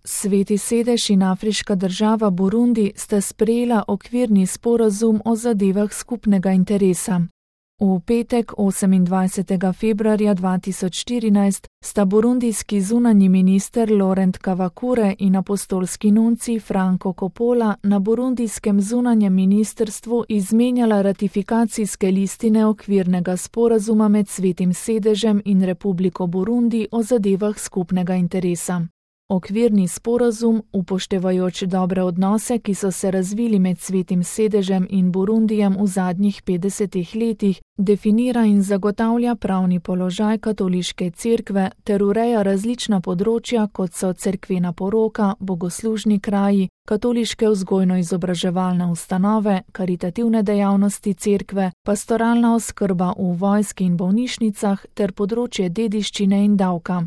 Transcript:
Sveti sedež in afriška država Burundi sta sprejela okvirni sporazum o zadevah skupnega interesa. V petek 28. februarja 2014 sta burundijski zunanji minister Laurent Kavakure in apostolski nuncij Franco Coppola na burundijskem zunanjem ministrstvu izmenjala ratifikacijske listine okvirnega sporazuma med Svetim sedežem in Republiko Burundi o zadevah skupnega interesa. Okvirni sporazum, upoštevajoč dobre odnose, ki so se razvili med Svetim sedežem in Burundijem v zadnjih 50 letih, definira in zagotavlja pravni položaj katoliške cerkve ter ureja različna področja, kot so cerkvena poroka, bogoslužni kraji, katoliške vzgojno-izobraževalne ustanove, karitativne dejavnosti cerkve, pastoralna oskrba v vojski in bolnišnicah ter področje dediščine in davka.